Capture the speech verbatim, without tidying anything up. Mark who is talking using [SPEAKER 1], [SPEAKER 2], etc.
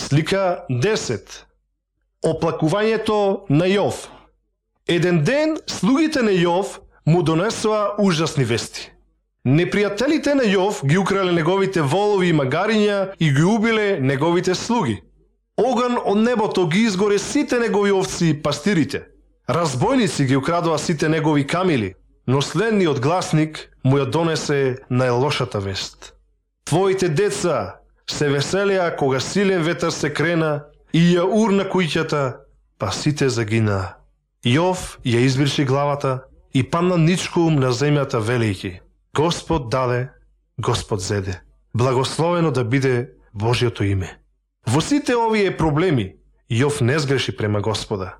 [SPEAKER 1] Слика десет. Оплакувањето на Јов. Еден ден слугите на Јов му донесоа ужасни вести. Непријателите на Јов ги украле неговите волови и магариња и ги убиле неговите слуги. Оган од небото ги изгоре сите негови овци и пастирите. Разбойници ги украдоа сите негови камили, но следниот гласник му ја донесе најлошата вест. Твоите деца се веселеа кога силен ветар се крена и ја урна куќата, па сите загинаа. Јов ја избриши главата и падна ничком на земјата велејќи: Господ даде, Господ зеде. Благословено да биде Божјото име. Во сите овие проблеми, Јов не сгреши према Господа.